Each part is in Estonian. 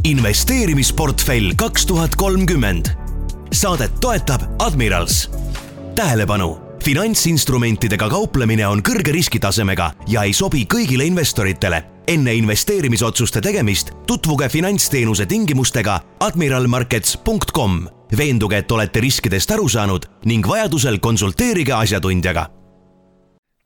investeerimisportfell 2030. Saadet toetab Admirals. Tähelepanu! Finantsinstrumentidega kauplemine on kõrge riskitasemega ja ei sobi kõigile investoritele. Enne investeerimisotsuste tegemist tutvuge finantsteenuse tingimustega admiralmarkets.com. Veenduge, et olete riskidest aru saanud ning vajadusel konsulteerige asjatundjaga.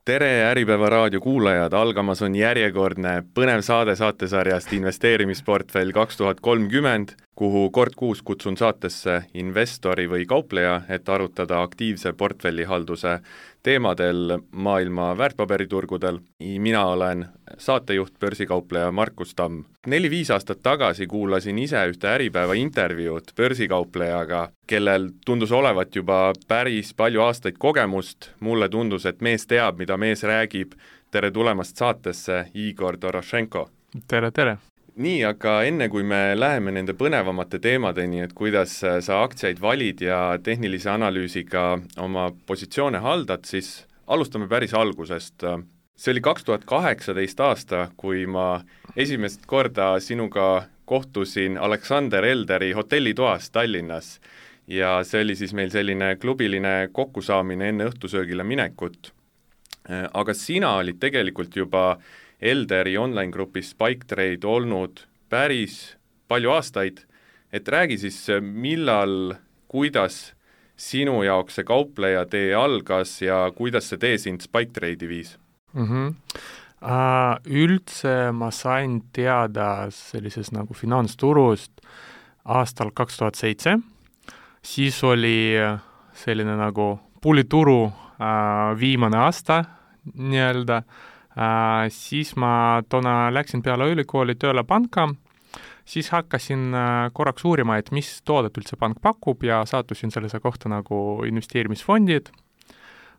Tere Äripäeva raadio kuulajad, algamas on järjekordne põnev saade saatesarjast Investeerimisportfell 2030, kuhu kord kuus kutsun saatesse investori või kaupleja, et arutada aktiivse portfellihalduse teemadel maailma väärtpaberiturgudel. Mina olen saatejuht, börsikaupleja Markus Tamm. 4-5 aastat tagasi kuulasin ise ühte Äripäeva intervjuud börsikauplejaga, kellel tundus olevat juba päris palju aastaid kogemust. Mulle tundus, et mees teab, mida mees räägib. Tere tulemast saatesse, Igor Dorošenko. Tere, tere! Nii, aga enne kui me läheme nende põnevamate teemadeni, et kuidas sa aktsiaid valid ja tehnilise analüüsiga oma positsioone haldad, siis alustame päris algusest. See oli 2018 aasta, kui ma esimest korda sinuga kohtusin Alexander Elderi hotellitoas Tallinnas ja see oli siis meil selline klubiline kokkusaamine enne õhtusöögile minekut. Aga sina olid tegelikult juba Elderi online-grupis SpikeTrade olnud päris palju aastaid, et räägi siis, millal, kuidas sinu jaoks see kaupleja tee algas ja kuidas see tee sind SpikeTrade'i viis? Üldse ma sain teada sellises nagu finantsturust aastal 2007, siis oli selline nagu pulituru viimane aasta nii-öelda. Siis ma toona läksin peale ülikooli tööle panka, siis hakkasin korraks uurima, et mis toodet üldse pank pakub ja saatusin sellise kohta nagu investeerimisfondid.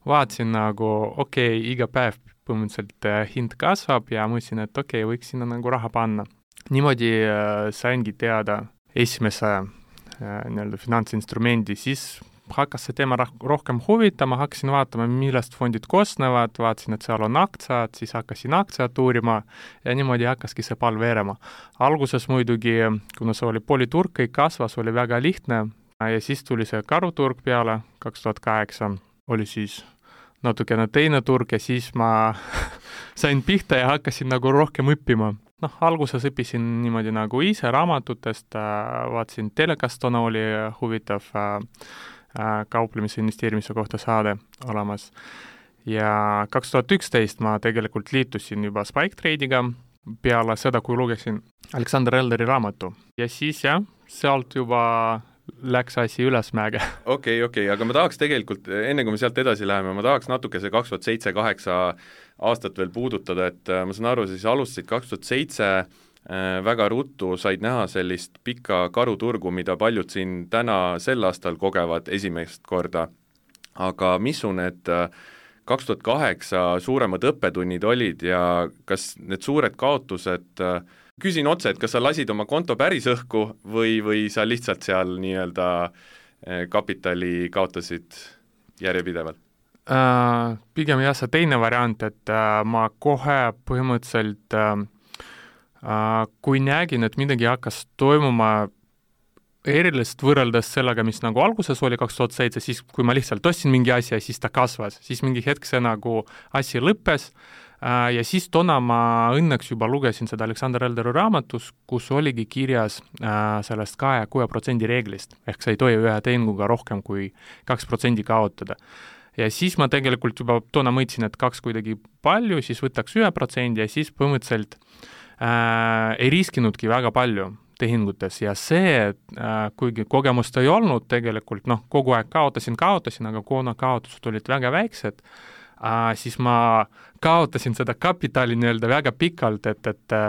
Vaatasin nagu, iga päev põhimõtteliselt hind kasvab ja mõtlesin, et võiks sinna nagu raha panna. Niimoodi saingi teada esimese finantsinstrumendi, siis hakkas see teema rohkem huvitama, hakkasin vaatama, millest fondid koosnevad, vaatasin, et seal on aktsiad, siis hakkasin aktsiat uurima ja niimoodi hakkaski see pall veerema. Alguses muidugi, kuna see oli politurg, kõik kasvas, oli väga lihtne ja siis tuli see karuturg peale, 2008 oli siis natukene teine turg ja siis ma sain pihta ja hakkasin nagu rohkem õppima. Alguses õppisin niimoodi nagu ise raamatutest, vaatasin telekast, oli huvitav kauplemise investeerimise kohta saade olemas. Ja 2011 ma tegelikult liitusin juba SpikeTrade'iga peale seda, kui lugesin Alexander Elderi raamatu. Ja siis sealt juba läks asi ülesmäge. Okei, aga ma tahaks tegelikult, enne kui me sealt edasi läheme, ma tahaks natuke see 2007-2008 aastat veel puudutada, et ma saan aru, siis alustasid 2007 väga ruttu said näha sellist pikka karuturgu, mida paljud siin täna sel aastal kogevad esimest korda. Aga mis su need 2008 suuremad õppetunnid olid ja kas need suured kaotused, küsin otse, et kas sa lasid oma konto päris õhku või sa lihtsalt seal nii-öelda kapitali kaotasid järjepidevalt? Pigem see teine variant, et ma kohe põhimõtteliselt kui nägin, et midagi hakkas toimuma erilist võrreldes sellega, mis nagu alguses oli 2007, siis kui ma lihtsalt ostsin mingi asja, siis ta kasvas, siis mingi hetk see nagu asi lõppes ja siis toona ma õnneks juba lugesin seda Alexander Elderi raamatus, kus oligi kirjas sellest 2% reeglist, ehk sa ei tohi ühe tehinguga rohkem kui 2% kaotada. Ja siis ma tegelikult juba toona mõtlesin, et 2 kuidagi palju, siis võtaks 1% ja siis põhimõtteliselt ei riskinudki väga palju tehingutes ja see, kuigi kogemust ei olnud tegelikult, kogu aeg kaotasin, aga kuna kaotused olid väga väiksed, siis ma kaotasin seda kapitali nii-öelda väga pikalt, et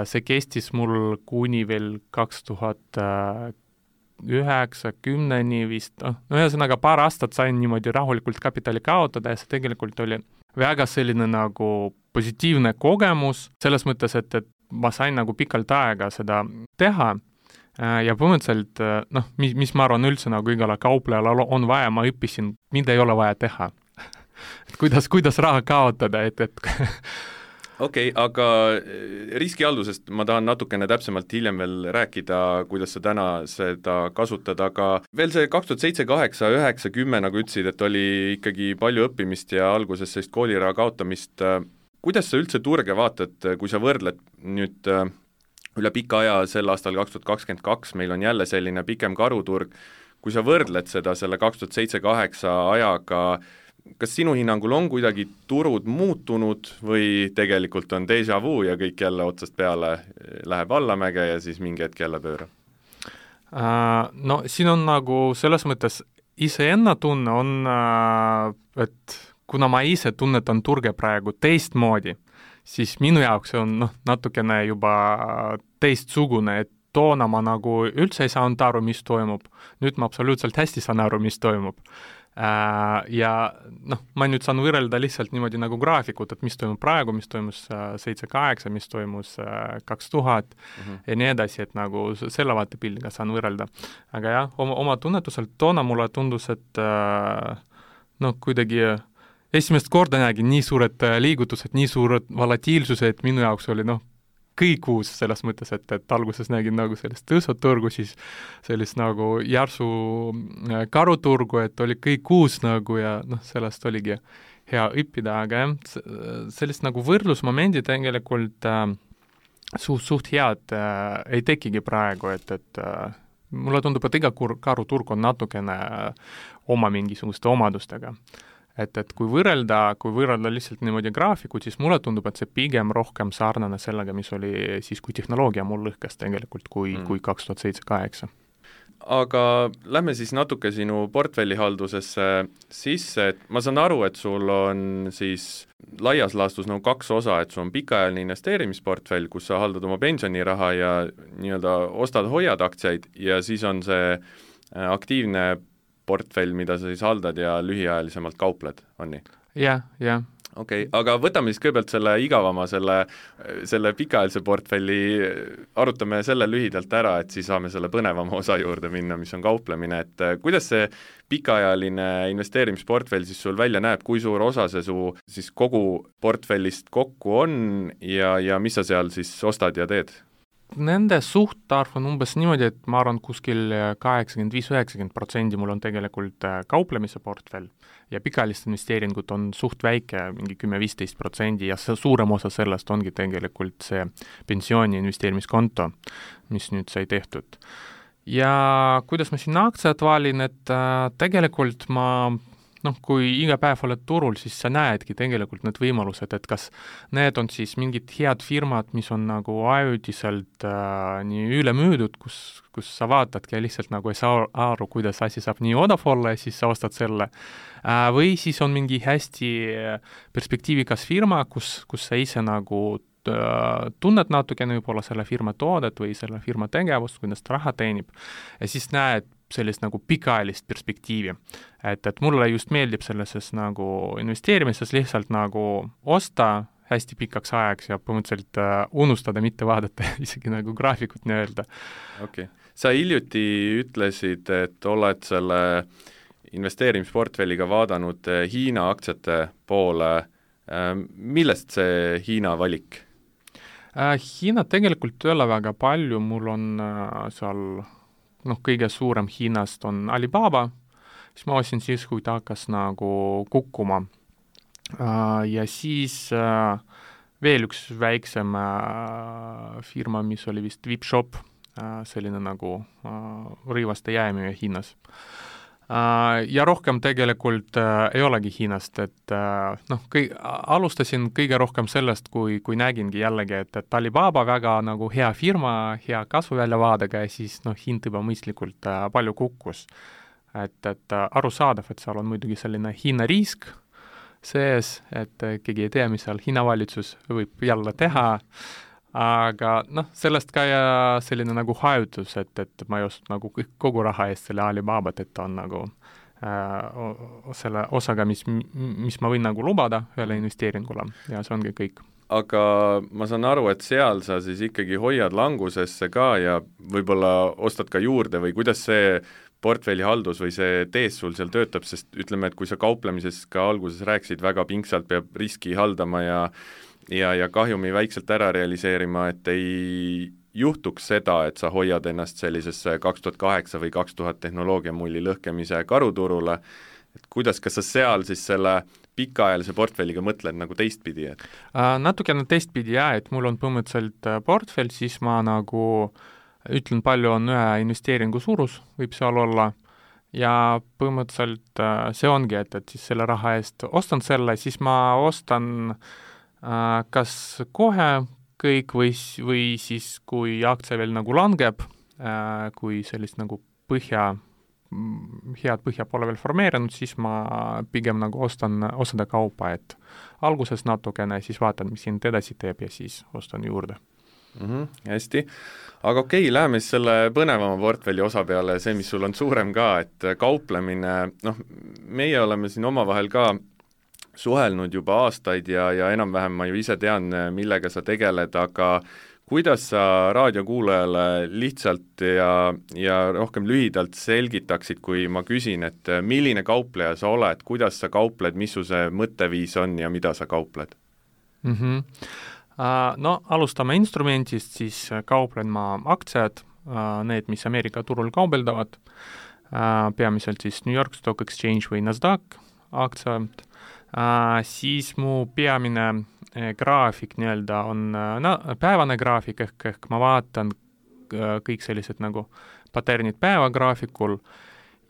see kestis mul kuni veel 2009-10 vist, ühesõnaga paar aastat sain niimoodi rahulikult kapitali kaotada ja see tegelikult oli väga selline nagu positiivne kogemus, selles mõttes, et ma sain nagu pikalt aega seda teha ja põhimõtteliselt, mis ma arvan üldse nagu igale kauplejale on vaja, ma õppisin, mida ei ole vaja teha. Et kuidas raha kaotada, et Okei, aga riskihaldusest ma tahan natukene täpsemalt hiljem veel rääkida, kuidas sa täna seda kasutad, aga veel see 2007, 8, 9, 10, nagu ütlesid, et oli ikkagi palju õppimist ja alguses sellist kooliraha kaotamist. Kuidas sa üldse turge vaatad, kui sa võrdled nüüd üle pika aja, sel aastal 2022 meil on jälle selline pikem karuturg, kui sa võrdled seda selle 2007-2008 ajaga, kas sinu hinnangul on kuidagi turud muutunud või tegelikult on déjà vu ja kõik jälle otsast peale läheb allamäge ja siis mingi hetk jälle pöörab? No siin on nagu selles mõttes iseenna tunne on, et kuna ma ise tunnetan turge praegu teistmoodi, siis minu jaoks on natukene juba teistsugune, et toona ma nagu üldse ei saanud aru, mis toimub. Nüüd ma absoluutselt hästi saan aru, mis toimub. Ja ma nüüd saan võrrelda lihtsalt niimoodi nagu graafikut, et mis toimub praegu, mis toimus 7-8, mis toimus 2000 ja nii edasi, et nagu selle vaatepildiga saan võrrelda. Aga jah, oma tunnetuselt toona mulle tundus, et kuidagi esimest korda nägin nii suured liigutused, nii suured volatiilsused, minu jaoks oli kõik uus selles mõttes, et alguses nägin nagu sellist tõusuturgu, siis sellist nagu järsu karuturgu, et oli kõik uus nagu ja sellest oligi hea õppida, aga jah, sellist nagu võrdlusmomendi tegelikult suht head ei tekigi praegu, et mulle tundub, et iga karuturg on natukene oma mingisuguste omadustega. Et kui võrrelda lihtsalt niimoodi graafikut, siis mulle tundub, et see pigem rohkem sarnane sellega, mis oli siis, kui tehnoloogia mul lõhkes tegelikult kui 2007-2008. Aga lähme siis natuke sinu portfellihaldusesse sisse, et ma saan aru, et sul on siis laias laastus kaks osa, et sul on pikaajaline investeerimisportfell, kus sa haldad oma pensioniraha ja nii-öelda ostad-hoiad aktsiaid ja siis on see aktiivne portfell, mida sa siis haldad ja lühiajalisemalt kaupled, on nii? Jah. Okei, aga võtame siis kõigepealt selle igavama, selle pikaajalise portfelli, arutame selle lühidalt ära, et siis saame selle põnevama osa juurde minna, mis on kauplemine, et kuidas see pikaajaline investeerimisportfell siis sul välja näeb, kui suur osa see su siis kogu portfellist kokku on ja mis sa seal siis ostad ja teed? Nende suhtarv on umbes niimoodi, et ma arvan, kuskil 85-90% mul on tegelikult kauplemise portfell ja pikaajalist investeeringut on suht väike, mingi 10-15% ja suurem osa sellest ongi tegelikult see pensiooni investeerimiskonto, mis nüüd sai tehtud. Ja kuidas ma siin aktsiat valin, et tegelikult ma kui iga päev oled turul, siis sa näedki tegelikult need võimalused, et kas need on siis mingid head firmad, mis on nagu ajutiselt nii üle müüdud, kus sa vaatadki ja lihtsalt nagu ei saa aru, kuidas asi saab nii odav olla ja siis sa ostad selle. Või siis on mingi hästi perspektiivikas firma, kus sa ise nagu tunned natukene võib-olla selle firma toodet või selle firma tegevust, kuidas ta raha teenib ja siis näed sellist nagu pikaajalist perspektiivi. Et mulle just meeldib sellises nagu investeerimises lihtsalt nagu osta hästi pikaks ajaks ja põhimõtteliselt unustada, mitte vaadata isegi nagu graafikut nii-öelda. Okei. Sa hiljuti ütlesid, et oled selle investeerimisportfelliga vaadanud Hiina aktsiate poole. Millest see Hiina valik? Hiina tegelikult ei ole väga palju, mul on seal kõige suurem Hiinast on Alibaba, siis ma ostsin siis, kui ta hakkas nagu kukkuma. Ja siis veel üks väiksem firma, mis oli vist Vipshop, selline nagu rõivaste jäämüüja Hiinas. Ja rohkem tegelikult ei olegi Hiinast, et alustasin kõige rohkem sellest, kui nägingi jällegi, et Alibaba väga nagu hea firma, hea kasvuväljavaadega ja siis hind juba mõistlikult palju kukkus. Et arusaadav, et seal on muidugi selline Hiina risk sees, et keegi ei tea, mis seal Hiina valitsus võib jälle teha, aga sellest ka ja selline nagu hajutus, et ma ei osta nagu kogu raha eest selle Alibabat, et ta on nagu selle osaga, mis ma võin nagu lubada ühele investeeringule ja see ongi kõik. Aga ma saan aru, et seal sa siis ikkagi hoiad langusesse ka ja võib-olla ostad ka juurde või kuidas see portfellihaldus või see tees sul seal töötab, sest ütleme, et kui sa kauplemises ka alguses rääkisid, väga pingsalt peab riski haldama ja ja kahjumi väikselt ära realiseerima, et ei juhtuks seda, et sa hoiad ennast sellisesse 2008 või 2000 tehnoloogiamulli lõhkemise karuturule, et kuidas, kas sa seal siis selle pikaajalise portfelliga mõtled nagu teistpidi, et? Natukene teistpidi jah, et mul on põhimõtteliselt portfell, siis ma nagu ütlen, palju on ühe investeeringu suurus, võib seal olla, ja põhimõtteliselt see ongi, et siis selle raha eest ostan selle, siis ma ostan kas kohe kõik või siis, kui aktsia veel nagu langeb, kui sellist nagu head põhja pole veel formeerinud, siis ma pigem nagu ostan osade kaupa, et alguses natukene, siis vaatan, mis hind edasi teeb ja siis ostan juurde. Hästi, aga okei, läheme siis selle põnevama portfelli osa peale, see, mis sul on suurem ka, et kauplemine, meie oleme siin omavahel ka suhelnud juba aastaid ja enam-vähem ma ju ise tean, millega sa tegeled, aga kuidas sa raadiokuulajale lihtsalt ja rohkem lühidalt selgitaksid, kui ma küsin, et milline kaupleja sa oled, kuidas sa kaupled, mis su see mõtteviis on ja mida sa kaupled? No alustame instrumentist, siis kauplen ma aktsiad, need, mis Ameerika turul kaubeldavad, peamiselt siis New York Stock Exchange või Nasdaq aktsiad, siis mu peamine graafik nii-öelda on päevane graafik, ehk ma vaatan kõik sellised nagu paternid päevagraafikul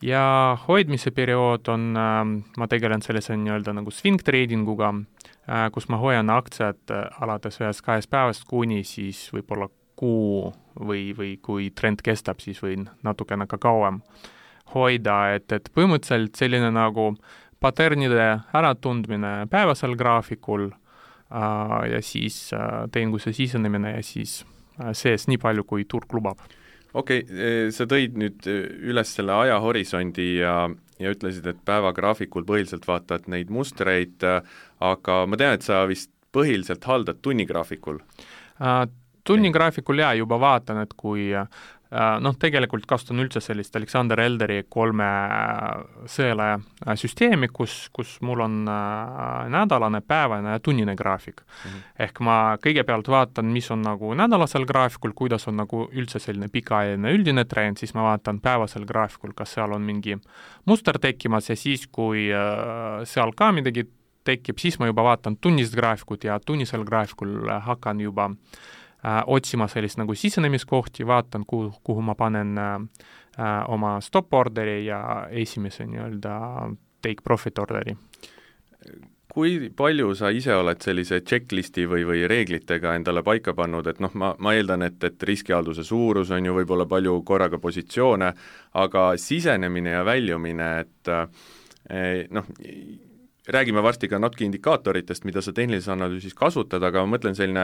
ja hoidmise periood on, ma tegelen sellise nii-öelda nagu swing tradinguga, kus ma hoian aktsiad alates 1-2 päevast kuni siis võib-olla kuu või kui trend kestab, siis võin natukene ka kauem hoida, et põhimõtteliselt selline nagu paternide äratundmine päevasel graafikul ja siis tehinguse sisenemine ja siis sees nii palju, kui turg lubab. Okei, sa tõid nüüd üles selle ajahorisondi ja ütlesid, et päevagraafikul põhiliselt vaatad neid mustreid, aga ma tean, et sa vist põhiliselt haldad tunnigraafikul. Tunnigraafikul juba vaatan, et kui tegelikult kasutan üldse sellist Alexander Elderi 3 sõela süsteemi, kus mul on nädalane, päevane ja tunnine graafik. Ehk ma kõigepealt vaatan, mis on nagu nädalasel graafikul, kuidas on nagu üldse selline pikaajaline üldine trend, siis ma vaatan päevasel graafikul, kas seal on mingi muster tekkimas ja siis, kui seal ka midagi tekib, siis ma juba vaatan tunnist graafikut ja tunnisel graafikul hakkan juba otsima sellist nagu sisenemiskohti, vaatan, kuhu ma panen oma stop orderi ja esimese nii-öelda take profit orderi. Kui palju sa ise oled sellise checklisti või reeglitega endale paika pannud, et ma eeldan, et riskihalduse suurus on ju võib-olla palju korraga positsioone, aga sisenemine ja väljumine, et räägime varsti ka natuke indikaatoritest, mida sa tehnilises analüüsis kasutad, aga ma mõtlen selline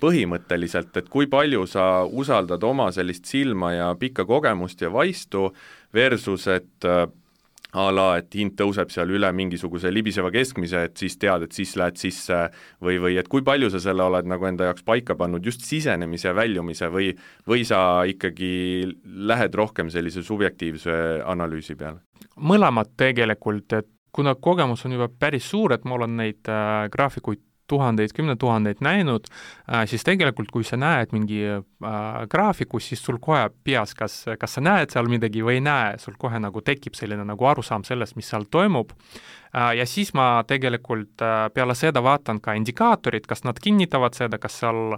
põhimõtteliselt, et kui palju sa usaldad oma sellist silma ja pikka kogemust ja vaistu versus, et et hind tõuseb seal üle mingisuguse libiseva keskmise, et siis tead, et siis lähed sisse või et kui palju sa selle oled nagu enda jaoks paika pannud just sisenemise ja väljumise või sa ikkagi lähed rohkem sellise subjektiivse analüüsi peale? Mõlemad tegelikult, et kuna kogemus on juba päris suur, et mul on neid graafikuid tuhandeid, 10 000 näinud, siis tegelikult, kui sa näed mingi graafikus, siis sul kohe peas, kas sa näed seal midagi või ei näe, sul kohe nagu tekib selline nagu arusaam sellest, mis seal toimub. Ja siis ma tegelikult peale seda vaatan ka indikaatorid, kas nad kinnitavad seda, kas seal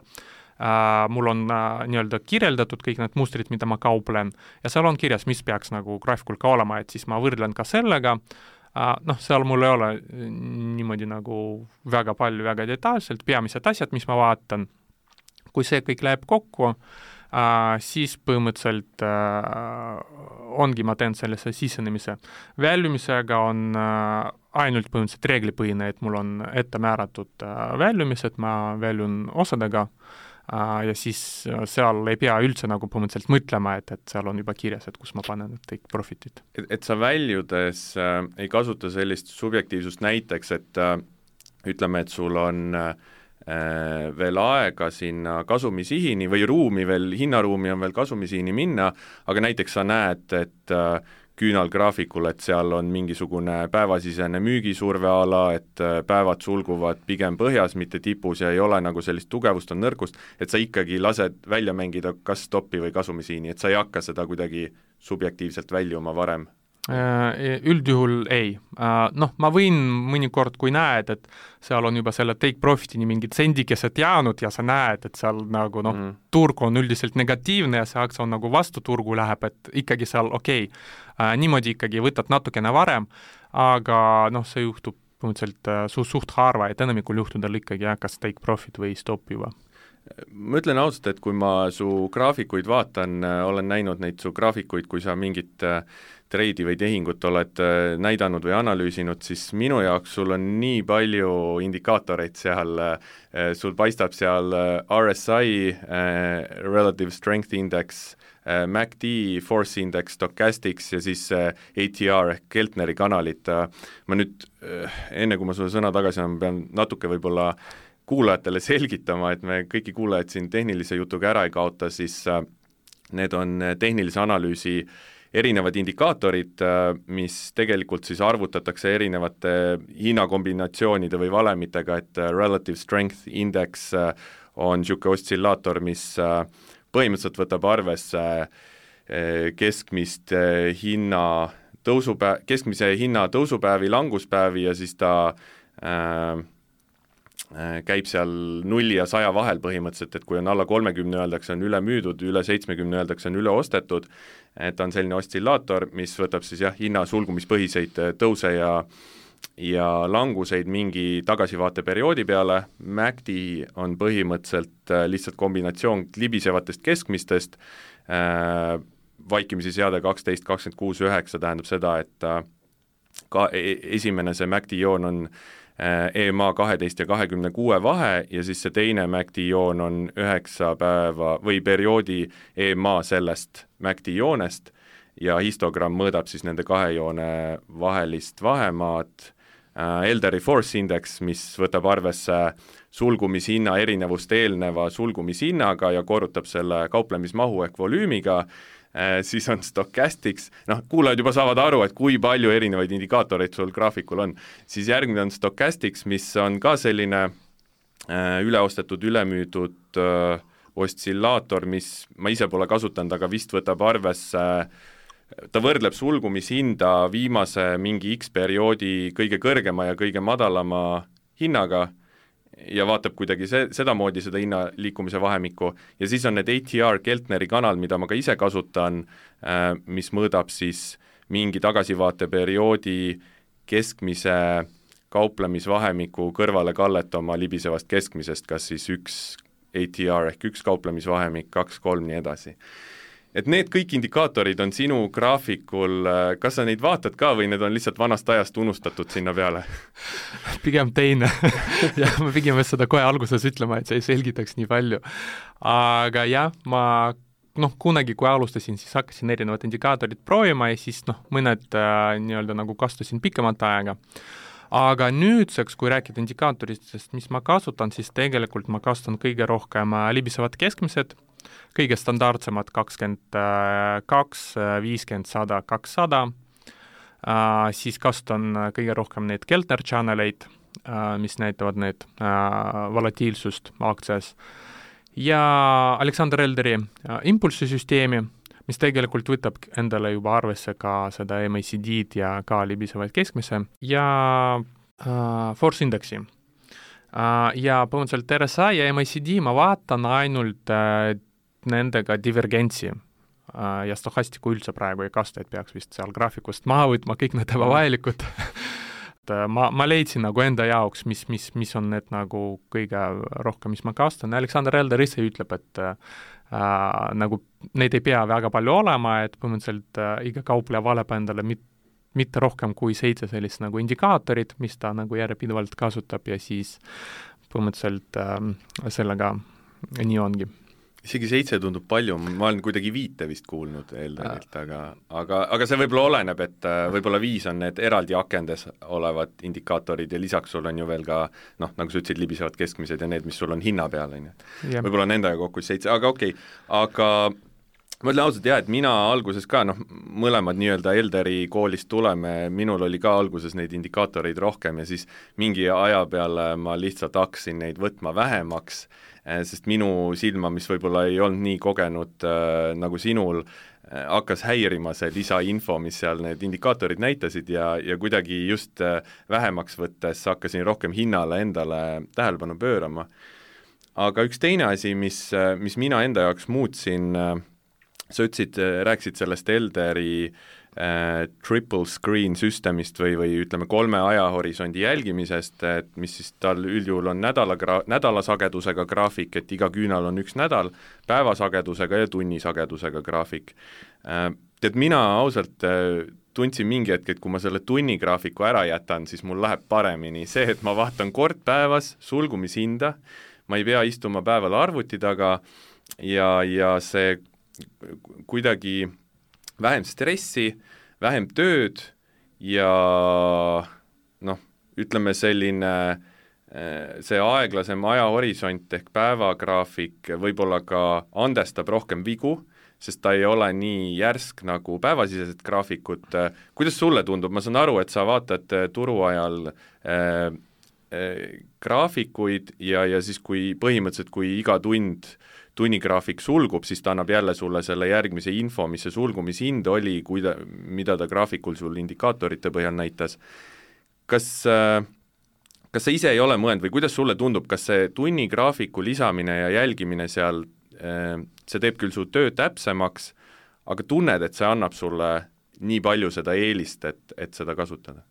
mul on nii-öelda kirjeldatud kõik need mustrid, mida ma kauplen, ja seal on kirjas, mis peaks nagu graafikul ka olema, et siis ma võrdlen ka sellega. Seal mul ei ole niimoodi nagu väga palju, väga detailselt, peamised asjad, mis ma vaatan. Kui see kõik läheb kokku, siis põhimõtteliselt ongi, ma teen sellise sisenemise. Väljumisega on ainult põhimõtteliselt reeglipõhine, et mul on ette määratud väljumised, ma väljun osadega ja siis seal ei pea üldse nagu põhimõtteliselt mõtlema, et seal on juba kirjas, et kus ma panen kõik profitit. Et sa väljudes ei kasuta sellist subjektiivsust näiteks, et ütleme, et sul on veel aega sinna kasumisihini või ruumi veel, hinnaruumi on veel kasumisihini minna, aga näiteks sa näed, et küünalgraafikul, et seal on mingisugune päevasisene müügisurveala, et päevad sulguvad pigem põhjas, mitte tipus ja ei ole nagu sellist tugevust, on nõrkust, et sa ikkagi lased välja mängida kas stopi või kasumisiini, et sa ei hakka seda kuidagi subjektiivselt väljuma varem? Üldjuhul ei. Ma võin mõnikord, kui näed, et seal on juba selle take profitini mingid sendikesed jäänud ja sa näed, et seal nagu turg on üldiselt negatiivne ja see aktsia on nagu vastu turgu läheb, et ikkagi seal niimoodi ikkagi võtad natukene varem, aga see juhtub põhimõtteliselt suht harva, et enamikul juhtudel ikkagi kas take profit või stop juba. Ma ütlen ausalt, et kui ma su graafikuid vaatan, olen näinud neid su graafikuid, kui sa mingit treidi või tehingut oled näidanud või analüüsinud, siis minu jaoks sul on nii palju indikaatoreid seal, sul paistab seal RSI, Relative Strength Index, MACD, Force Index, Stochastics ja siis ATR ehk Keltneri kanalit. Ma nüüd, enne kui ma sulle sõna tagasi annan, pean natuke võib-olla kuulajatele selgitama, et me kõiki kuulajad siin tehnilise jutuga ära ei kaota, siis need on tehnilise analüüsi erinevad indikaatorid, mis tegelikult siis arvutatakse erinevate hinnakombinatsioonide või valemitega, et Relative Strength Index on niisugune oszillaator, mis põhimõtteliselt võtab arvesse keskmise hinna tõusupäevi, languspäevi ja siis ta käib seal 0 ja 100 vahel põhimõtteliselt, et kui on alla 30 öeldakse, on üle müüdud, üle 70 öeldakse, on üle ostetud, et on selline oszillaator, mis võtab siis hinna sulgumispõhiseid tõuse ja languseid mingi tagasivaateperioodi peale. MACD on põhimõtteliselt lihtsalt kombinatsioon libisevatest keskmistest, vaikimisi seade 12, 26, 9 tähendab seda, et ka esimene see MACD joon on EMA 12 ja 26 vahe ja siis see teine MACD joon on 9 päeva või perioodi EMA sellest MACD joonest ja histogramm mõõdab siis nende kahe joone vahelist vahemaad. Elderi Force Index, mis võtab arvesse sulgumishinna erinevust eelneva sulgumishinnaga ja korrutab selle kauplemismahu ehk volüümiga, siis on Stochastics, kuulajad juba saavad aru, et kui palju erinevaid indikaatoreid sul graafikul on, siis järgmine on Stochastics, mis on ka selline üleostetud, ülemüüdud oszillaator, mis ma ise pole kasutanud, aga vist võtab arvesse, ta võrdleb sulgumishinda viimase mingi X perioodi kõige kõrgema ja kõige madalama hinnaga ja vaatab kuidagi sedamoodi seda hinna liikumise vahemikku ja siis on need ATR Keltneri kanal, mida ma ka ise kasutan, mis mõõdab siis mingi tagasivaateperioodi keskmise kauplemisvahemiku kõrvale kallet oma libisevast keskmisest, kas siis üks ATR ehk üks kauplemisvahemik, 2, 3, nii edasi. Et need kõik indikaatorid on sinu graafikul, kas sa neid vaatad ka või need on lihtsalt vanast ajast unustatud sinna peale? Pigem teine. ja ma pigem seda kohe alguses ütlema, et see ei selgitaks nii palju. Aga jah, ma kunagi, kui alustasin, siis hakkasin erinevad indikaatorid proovima ja siis mõned nii-öelda nagu kasutasin pikemat aega. Aga nüüdseks, kui rääkida indikaatoritest, mis ma kasutan, siis tegelikult ma kasutan kõige rohkem libisevad keskmised, kõige standardsemad 22, 50, 100, 200, siis kasutan kõige rohkem neid Keltner channeleid, mis näitavad need volatiilsust aktsias, ja Alexander Elderi impulssisüsteemi, mis tegelikult võtab endale juba arvesse ka seda MACD-d ja ka libisevaid keskmise ja Force Indexi. Ja põhimõtteliselt RSI ja MACD ma vaatan ainult nendega divergentsi ja stochastiku üldse praegu ei kasta, et peaks vist seal graafikust maha võtma kõik need ebavajalikud. ma leidsin nagu enda jaoks, mis on need nagu kõige rohkem, mis ma kastan. Alexander Elder ise ütleb, et nagu neid ei pea väga palju olema, et põhimõtteliselt iga kaupleja valeb endale mitte rohkem kui 7 sellist nagu indikaatorit, mis ta nagu järjepidevalt kasutab ja siis põhimõtteliselt sellega nii ongi. Isegi 7 tundub palju, ma olen kuidagi 5 vist kuulnud Elderilt, aga see võib-olla oleneb, et võib-olla 5 on need eraldi akendes olevad indikaatorid ja lisaks sul on ju veel ka, nagu sa ütlesid, libisevad keskmised ja need, mis sul on hinna peal, võib-olla nendega kokku 7, aga okei. Aga ma ütlen ausalt et mina alguses ka, mõlemad nii-öelda Elderi koolist tuleme, minul oli ka alguses neid indikaatoreid rohkem ja siis mingi aja peale ma lihtsalt hakkasin neid võtma vähemaks, sest minu silma, mis võib-olla ei olnud nii kogenud nagu sinul, hakkas häirima see lisainfo, mis seal need indikaatorid näitasid ja kuidagi just vähemaks võttes hakkasin rohkem hinnale endale tähelepanu pöörama. Aga üks teine asi, mis mina enda jaoks muutsin, sa rääkisid sellest Elderi triple screen süsteemist või ütleme 3 ajahorisondi jälgimisest, et mis siis tal üldjuhul on nädalasagedusega graafik, et iga küünal on 1 nädal, päevasagedusega ja tunnisagedusega graafik. Tead, mina ausalt tundsin mingi hetk, et kui ma selle tunnigraafiku ära jätan, siis mul läheb paremini see, et ma vaatan kord päevas sulgumishinda, ma ei pea istuma päeval arvuti taga ja see kuidagi vähem stressi, vähem tööd ja ütleme selline see aeglasem ajahorisont ehk päevagraafik võib-olla ka andestab rohkem vigu, sest ta ei ole nii järsk nagu päevasisesed graafikud. Kuidas sulle tundub? Ma saan aru, et sa vaatad turuajal graafikuid ja siis põhimõtteliselt, kui iga tunnigraafik sulgub, siis ta annab jälle sulle selle järgmise info, mis see sulgumishind oli, mida ta graafikul sul indikaatorite põhjal näitas. Kas sa ise ei ole mõelnud või kuidas sulle tundub, kas see tunnigraafiku lisamine ja jälgimine seal, see teeb küll su töö täpsemaks, aga tunned, et see annab sulle nii palju seda eelist, et seda kasutada?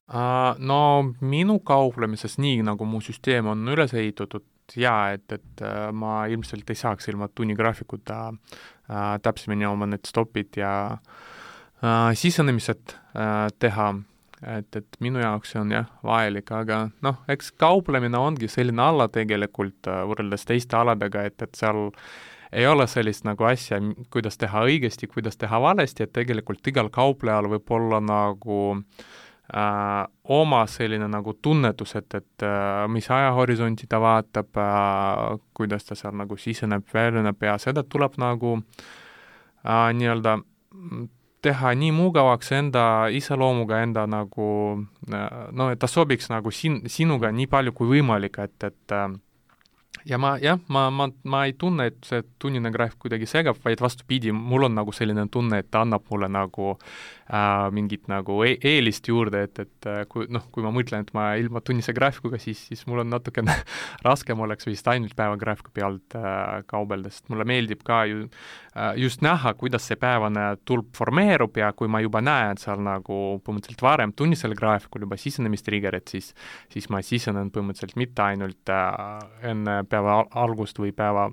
No minu kauplemises nii, nagu mu süsteem on üles ehitatud, et ma ilmselt ei saaks ilma tunnigraafikuta täpsemini oma need stopid ja sisenemised teha, et minu jaoks see on vajalik, aga eks kauplemine ongi selline ala tegelikult võrreldes teiste aladega, et seal ei ole sellist nagu asja, kuidas teha õigesti, kuidas teha valesti, et tegelikult igal kauplejal võib olla nagu oma selline nagu tunnetus, et mis ajahorisonti ta vaatab, kuidas ta seal nagu siseneb, väljuneb ja seda tuleb nagu nii-öelda teha nii mugavaks enda iseloomuga, enda nagu et ta sobiks nagu sinuga nii palju kui võimalik, et ja ma ei tunne, et see tunnine graafik kuidagi segab, vaid vastupidi, mul on nagu selline tunne, et ta annab mulle nagu mingit nagu eelist juurde, et kui ma mõtlen, et ma ilma tunnise graafikuga, siis mul on natukene raskem oleks vist ainult päevagraafiku pealt kaubelda, sest mulle meeldib ka just näha, kuidas see päevane tulp formeerub ja kui ma juba näen seal nagu põhimõtteliselt varem tunnisel graafikul juba sisenemistriggerit, siis ma sisenen põhimõtteliselt mitte ainult enne päeva algust või päeva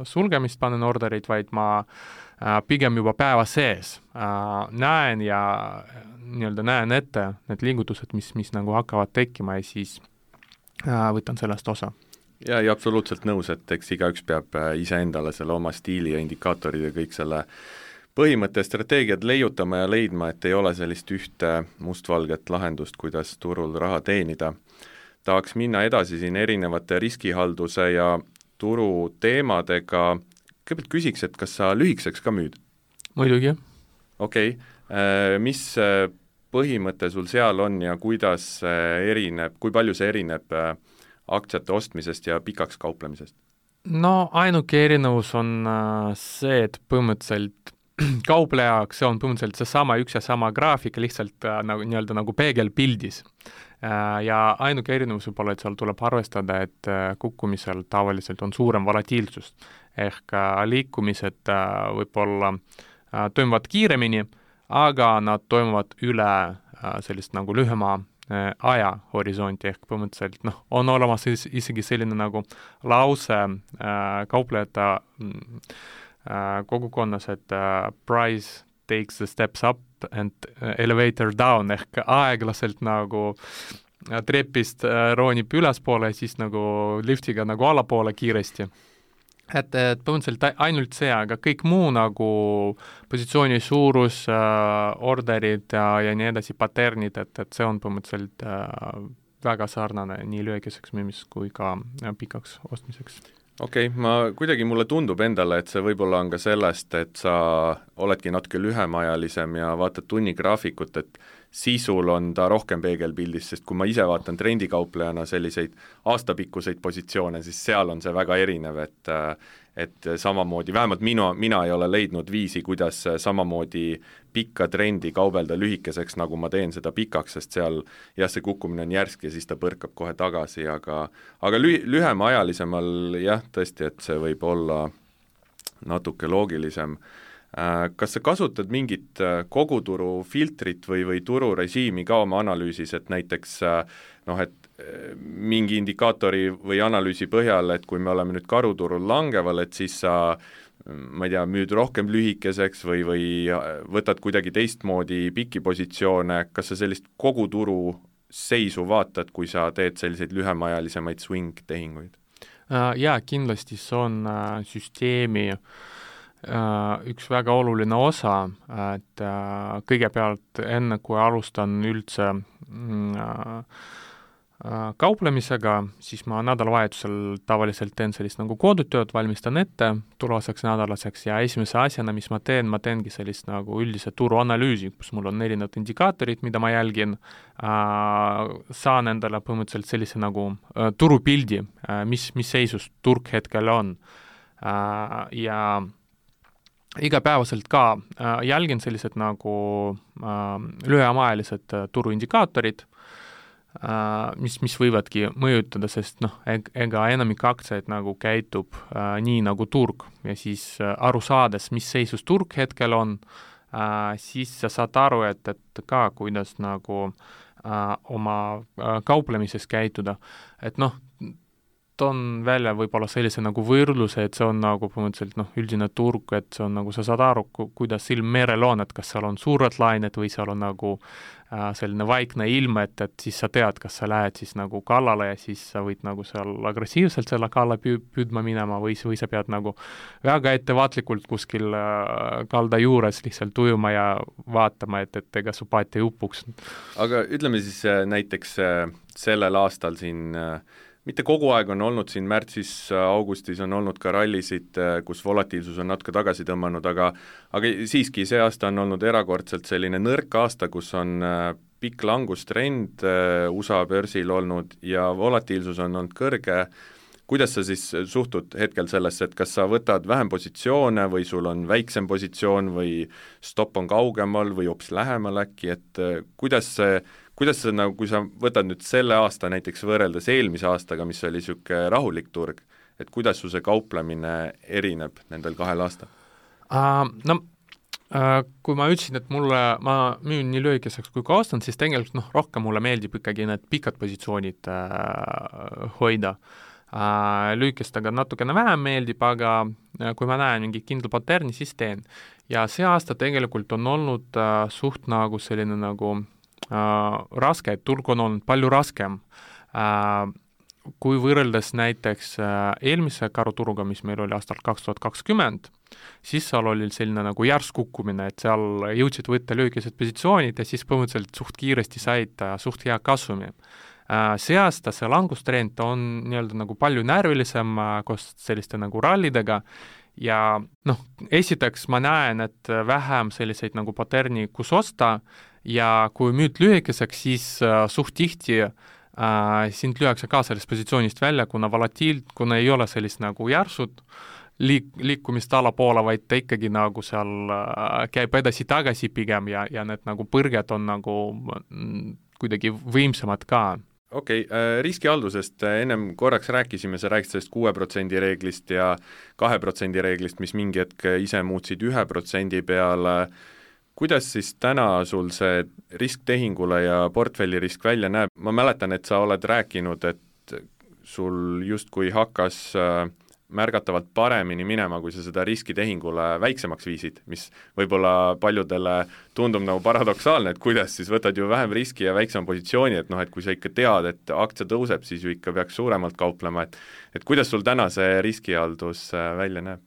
sulgemist panen orderid, vaid ma pigem juba päeva sees näen ja nii-öelda näen ette need liigutused, mis nagu hakkavad tekkima ja siis võtan sellest osa. Ja absoluutselt nõus, et eks igaüks peab iseendale selle oma stiili ja indikaatorid ja kõik selle põhimõtte strateegiad leiutama ja leidma, et ei ole sellist ühte mustvalget lahendust, kuidas turul raha teenida. Tahaks minna edasi siin erinevate riskihalduse ja turu teemadega. Kõigepealt küsiks, et kas sa lühikeseks ka müüd? Muidugi. Okei. Mis põhimõte sul seal on ja kuidas erineb, kui palju see erineb aktsiate ostmisest ja pikaks kauplemisest? No ainuke erinevus on see, et põhimõtteliselt kauplejaks see on põhimõtteliselt seesama üks ja sama graafik lihtsalt nii-öelda nagu peegelpildis. Ja ainuke erinevus võib olla, et seal tuleb arvestada, et kukkumisel tavaliselt on suurem volatiilsus, ehk liikumised võib-olla toimuvad kiiremini, aga nad toimuvad üle sellist nagu lühema ajahorisonti, ehk põhimõtteliselt on olemas isegi selline nagu lause kauplejate kogukonnas, et price takes the steps up and elevator down, ehk aeglaselt nagu trepist roonib ülespoole ja siis nagu liftiga nagu allapoole kiiresti. Et põhimõtteliselt ainult see, aga kõik muu nagu positsiooni suurus, orderid ja nii edasi, paternid, et see on põhimõtteliselt väga sarnane nii lühikeseks müümis kui ka pikaks ostmiseks. Okei, mulle tundub endale, et see võib-olla on ka sellest, et sa oledki natuke lühemaajalisem ja vaatad tunnigraafikut, et sisul on ta rohkem peegelpildis, sest kui ma ise vaatan trendikauplejana selliseid aastapikkuseid positsioone, siis seal on see väga erinev, et samamoodi, vähemalt mina ei ole leidnud viisi, kuidas samamoodi pikka trendi kaubelda lühikeseks, nagu ma teen seda pikaks, sest seal jah, see kukkumine on järsk ja siis ta põrkab kohe tagasi, aga lühemaajalisemal jah, tõesti, et see võib olla natuke loogilisem. Kas sa kasutad mingit koguturu filtrit või tururežiimi ka oma analüüsis, et näiteks et mingi indikaatori või analüüsi põhjal, et kui me oleme nüüd karuturul langeval, et siis sa ma ei tea, müüd rohkem lühikeseks või võtad kuidagi teistmoodi pikki positsioone, kas sa sellist koguturu seisu vaatad, kui sa teed selliseid lühemaajalisemaid swing-tehinguid? Jaa, kindlasti see on süsteemi üks väga oluline osa, et kõigepealt enne, kui alustan üldse kauplemisega, siis ma nädalavahetusel tavaliselt teen sellist nagu kodutööd, valmistan ette tulevaseks nädalaseks ja esimese asjana, mis ma teengi sellist nagu üldise turuanalüüsi, kus mul on erinevad indikaatorid, mida ma jälgin, saan endale põhimõtteliselt sellise nagu turupildi, mis seisus turg hetkel on ja igapäevaselt ka jälgin sellised nagu lühemaajalised turuindikaatorid, mis võivadki mõjutada, sest ega enamik aktsiaid nagu käitub nii nagu turg ja siis aru saades, mis seisus turg hetkel on, siis sa saad aru, et ka kuidas nagu oma kauplemises käituda, et toon välja võib-olla sellise nagu võrdluse, et see on nagu põhimõtteliselt üldine turg, et see on nagu sa saad aru, kuidas ilm merel on, et kas seal on suured lained või seal on nagu selline vaikne ilm, et siis sa tead, kas sa lähed siis nagu kallale ja siis sa võid nagu seal agressiivselt selle kalla püüdma minema või sa pead nagu väga ettevaatlikult kuskil kalda juures lihtsalt ujuma ja vaatama, et ega su paat ei upuks. Aga ütleme siis näiteks sellel aastal siin mitte kogu aeg on olnud siin märtsis, augustis on olnud ka rallisid, kus volatiilsus on natuke tagasi tõmmanud, aga siiski see aasta on olnud erakordselt selline nõrk aasta, kus on pikk langustrend USA börsil olnud ja volatiilsus on olnud kõrge. Kuidas sa siis suhtud hetkel sellesse, et kas sa võtad vähem positsioone või sul on väiksem positsioon või stopp on kaugemal või hoopis lähemal äkki, et kuidas sa nagu, kui sa võtad nüüd selle aasta näiteks võrreldes eelmise aastaga, mis oli niisugune rahulik turg, et kuidas su see kauplemine erineb nendel kahel aastal? Kui ma ütlesin, et ma müün nii lühikeseks kui ka ostan, siis tegelikult rohkem mulle meeldib ikkagi need pikad positsioonid hoida. Lühikestega natukene vähem meeldib, aga kui ma näen mingi kindla paterni, siis teen. Ja see aasta tegelikult on olnud suht nagu selline nagu raske, et turg on olnud palju raskem. Kui võrreldes näiteks eelmise karuturuga, mis meil oli aastal 2020, siis seal oli selline nagu järsk kukkumine, et seal jõudsid võtta lühikesed positsioonid ja siis põhimõtteliselt suht kiiresti said suht hea kasumi. See aasta see langustrend on nii-öelda nagu palju närvilisem koos selliste nagu rallidega ja esiteks ma näen, et vähem selliseid nagu paterni, kus osta ja kui müüd lühikeseks, siis suht tihti sind lüüakse ka sellest positsioonist välja, kuna ei ole sellist nagu järsud liikumist allapoole, vaid ta ikkagi nagu seal käib edasi-tagasi pigem ja need nagu põrged on nagu kuidagi võimsamad ka. Okei, riskihaldusest ennem korraks rääkisime, sa rääkisid sellest 6% reeglist ja 2% reeglist, mis mingi hetk ise muutsid 1% peale. Kuidas siis täna sul see risk tehingule ja portfellirisk välja näeb? Ma mäletan, et sa oled rääkinud, et sul justkui hakkas märgatavalt paremini minema, kui sa seda riskitehingule väiksemaks viisid, mis võib-olla paljudele tundub nagu paradoksaalne, et kuidas siis võtad ju vähem riski ja väiksema positsiooni, et kui sa ikka tead, et aktsia tõuseb, siis ju ikka peaks suuremalt kauplema, et kuidas sul täna see riskihaldus välja näeb?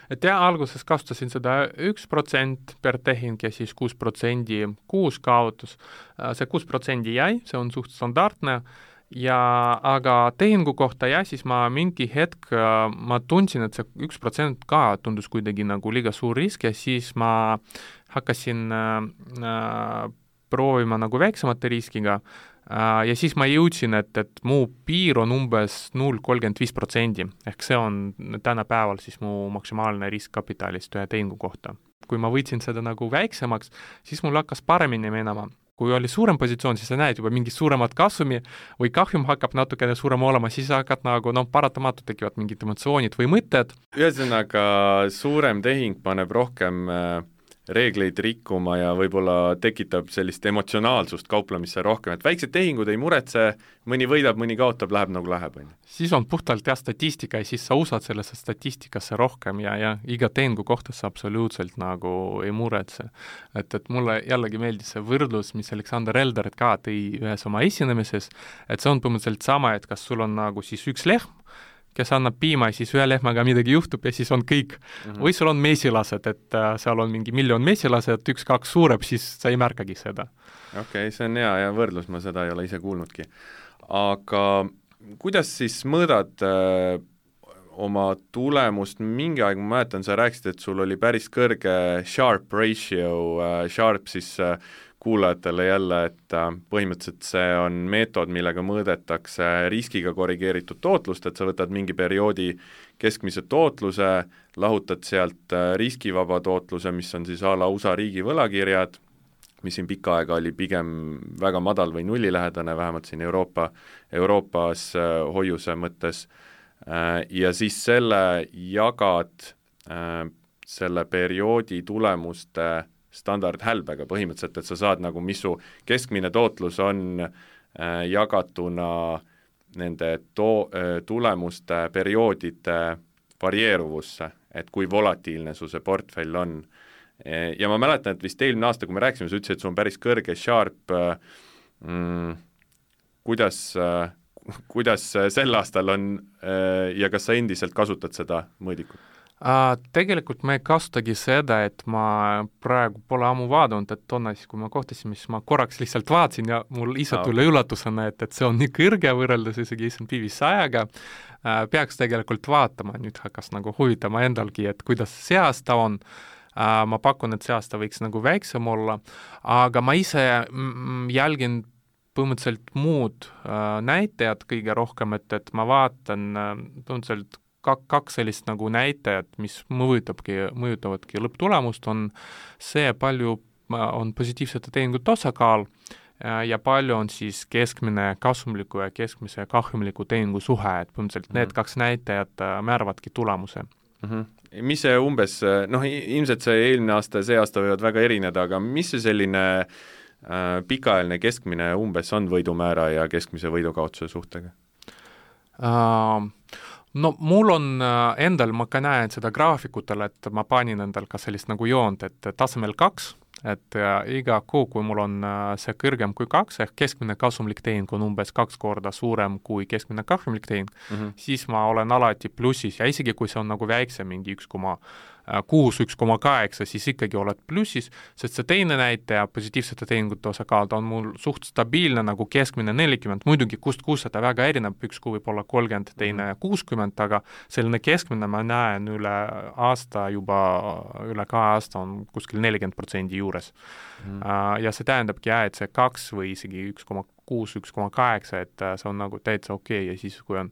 Et alguses kasutasin seda 1% per tehing ja siis 6% kuus kaotus. See 6% jäi, see on suht standardne aga tehingu kohta siis ma mingi hetk, ma tundsin, et see 1% ka tundus kuidagi nagu liiga suur risk ja siis ma hakkasin proovima nagu väiksemate riskiga ja siis ma jõudsin, et mu piir on umbes 0,35%, ehk see on tänapäeval siis mu maksimaalne risk kapitalist ühe tehingu kohta. Kui ma võtsin seda nagu väiksemaks, siis mul hakkas paremini minema. Kui oli suurem positsioon, siis sa näed juba mingit suuremat kasumi või kahjum hakkab natukene suurem olema, siis hakkad nagu, paratamatult tekivad mingid emotsioonid või mõtted. Ühesõnaga, suurem tehing paneb rohkem reegleid rikkuma ja võib-olla tekitab sellist emotsionaalsust kauplemisse rohkem, et väiksed tehingud ei muretse, mõni võidab, mõni kaotab, läheb nagu läheb. Siis on puhtalt statistika ja siis sa usad sellesse statistikasse rohkem ja iga tehingu kohta sa absoluutselt nagu ei muretse. Et mulle jällegi meeldis see võrdlus, mis Alexander Elderit ka tõi ühes oma esinemises, et see on põhimõtteliselt sama, et kas sul on nagu siis üks lehm, kes annab piima ja siis ühe lehmaga midagi juhtub ja siis on kõik. Või sul on mesilased, et seal on mingi 1 miljon mesilased, 1-2 suureb, siis sa ei märkagi seda. Okei, see on hea võrdlus, ma seda ei ole ise kuulnudki. Aga kuidas siis mõõdad oma tulemust? Mingi aeg ma mäletan, sa rääkisid, et sul oli päris kõrge Sharpe ratio, Sharpe siis kuulajatele jälle, et põhimõtteliselt see on meetod, millega mõõdetakse riskiga korrigeeritud tootlust, et sa võtad mingi perioodi keskmise tootluse, lahutad sealt riskivaba tootluse, mis on siis a la USA riigi võlakirjad, mis siin pikka aega oli pigem väga madal või nullilähedane, vähemalt siin Euroopas hoiuse mõttes, ja siis selle jagad selle perioodi tulemuste standardhälbega põhimõtteliselt, et sa saad nagu, mis su keskmine tootlus on jagatuna nende tulemuste perioodide varieeruvusse, et kui volatiilne su see portfell on. Ja ma mäletan, et vist eelmine aasta, kui me rääksime, sa ütlesid, et sul on päris kõrge Sharpe, kuidas sel aastal on ja kas sa endiselt kasutad seda mõõdikut? Tegelikult ma ei kasutagi seda, et ma praegu pole ammu vaadanud, et toona siis, kui ma kohtasime, siis ma korraks lihtsalt vaatasin ja mul ise tuli üllatusena, et see on nii kõrge võrreldes isegi S&P 500-ga. Peaks tegelikult vaatama, nüüd hakkas nagu huvitama endalgi, et kuidas see aasta on. Ma pakun, et see aasta võiks nagu väiksem olla, aga ma ise jälgin põhimõtteliselt muud näitajad kõige rohkem, et ma vaatan põhimõtteliselt kaks sellist nagu näitajat, mis mõjutavadki lõpptulemust, on see, palju on positiivsete tehingute osakaal ja palju on siis keskmine kasumliku ja keskmise kahjumliku tehingu suhe, et põhimõtteliselt need kaks näitajat määravadki tulemuse. Mis see umbes, ilmselt see eelmine aasta ja see aasta võivad väga erineda, aga mis see selline pikaajaline keskmine umbes on võidumäära ja keskmise võidukaotuse suhtega? No mul on endal, ma ka näen seda graafikutele, et ma panin endal ka sellist nagu joont, et tasemel 2, et iga kuu, kui mul on see kõrgem kui 2, ehk keskmine kasumlik tehing on umbes 2 korda suurem kui keskmine kahjumlik tehing, siis ma olen alati plussis ja isegi kui see on nagu väiksem, mingi 1,8, siis ikkagi oled plussis, sest see teine näitaja, positiivsete tehingute osakaal, on mul suht stabiilne nagu keskmine 40, muidugi kust seda väga erineb, üks kuu võib olla 30, teine 60, aga selline keskmine ma näen üle aasta juba, üle 2 aasta on kuskil 40% juures. Ja see tähendabki, et see 2 või isegi 1,6, 1,8, et see on nagu täitsa okei ja siis kui on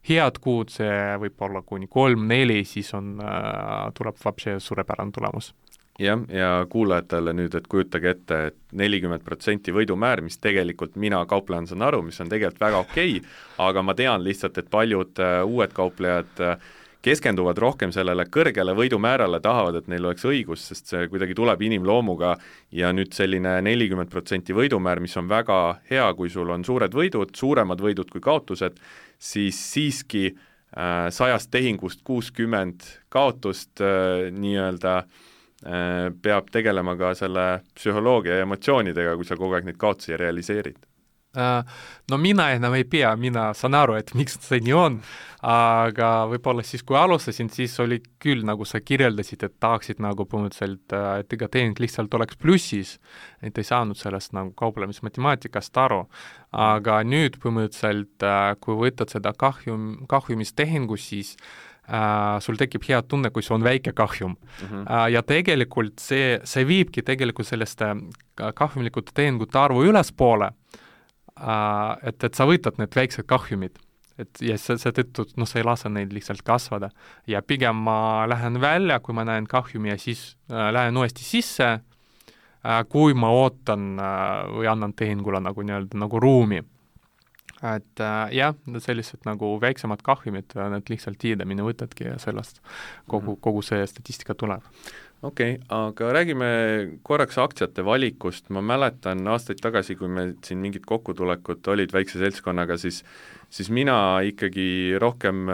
head kuud, see võib olla kuni 3-4, siis tuleb vapse suurepärane tulemus. Jah, ja kuulajatele nüüd, et kujutage ette, et 40% võidumäär, mis tegelikult mina kauplejana saan aru, mis on tegelikult väga okei, aga ma tean lihtsalt, et paljud uued kauplejad keskenduvad rohkem sellele kõrgele võidumäärale, tahavad, et neil oleks õigus, sest see kuidagi tuleb inimloomuga ja nüüd selline 40% võidumäär, mis on väga hea, kui sul on suured võidud, suuremad võidud kui kaotused, siis siiski 100 tehingust 60 kaotust nii-öelda peab tegelema ka selle psühholoogia ja emotsioonidega, kui sa kogu aeg neid kaotusi realiseerid. No mina enam ei pea, mina saan aru, et miks see nii on, aga võib-olla siis, kui alustasin, siis oli küll, nagu sa kirjeldasid, et tahaksid nagu põhimõtteliselt, et ega tehing lihtsalt oleks plussis, et ei saanud sellest nagu kauplemismatemaatikast aru. Aga nüüd põhimõtteliselt, kui võtad seda kahjumistehingu, siis sul tekib hea tunne, kui see on väike kahjum. Ja tegelikult see viibki tegelikult sellest kahjumlikute tehingute arvu ülespoole, et sa võtad need väiksed kahjumid, ja seetõttu sa ei lase neid lihtsalt kasvada. Ja pigem ma lähen välja, kui ma näen kahjumi, ja siis lähen uuesti sisse, kui ma ootan või annan tehingule nagu ruumi. Et jah, sellised nagu väiksemad kahjumid, need lihtsalt tiidamine võtadki ja sellest kogu see statistika tuleb. Okei, aga räägime korraks aktsiate valikust. Ma mäletan aastaid tagasi, kui me siin mingid kokkutulekut olid väikse seltskonnaga, siis mina ikkagi rohkem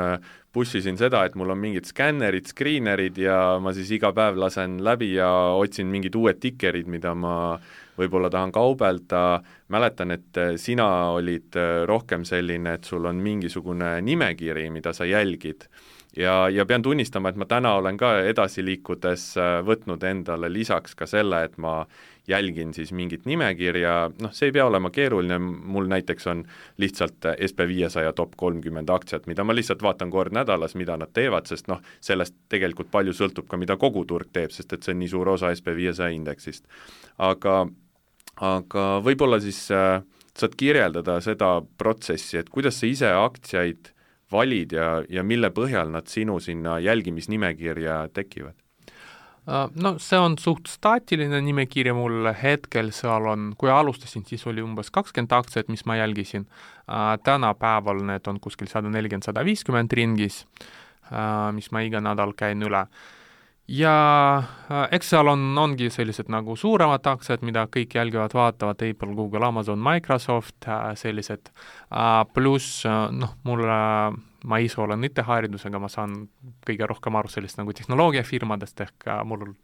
pussisin seda, et mul on mingid skännerid, screenerid ja ma siis iga päev lasen läbi ja otsin mingid uued tikerid, mida ma võib-olla tahan kaubelda. Mäletan, et sina olid rohkem selline, et sul on mingisugune nimekiri, mida sa jälgid. Ja pean tunnistama, et ma täna olen ka edasi liikudes võtnud endale lisaks ka selle, et ma jälgin siis mingit nimekirja, see ei pea olema keeruline, mul näiteks on lihtsalt SP500 top 30 aktsiat, mida ma lihtsalt vaatan kord nädalas, mida nad teevad, sest sellest tegelikult palju sõltub ka, mida kogu turg teeb, sest et see on nii suur osa SP500 indeksist. Aga võib-olla siis saad kirjeldada seda protsessi, et kuidas sa ise aktsiaid valid ja mille põhjal nad sinu sinna jälgimisnimekirja tekivad? No see on suht staatiline nimekirja mul hetkel, seal on, kui alustasin, siis oli umbes 20 aktsiat, mis ma jälgisin. Tänapäeval need on kuskil 140-150 ringis, mis ma iga nädal käin üle. Ja eks seal ongi sellised nagu suuremad aktsiad, mida kõik jälgivad, vaatavad, Apple, Google, Amazon, Microsoft, sellised, pluss ma ise olen IT-haridusega, ma saan kõige rohkem aru sellist nagu tehnoloogiafirmadest, ehk mul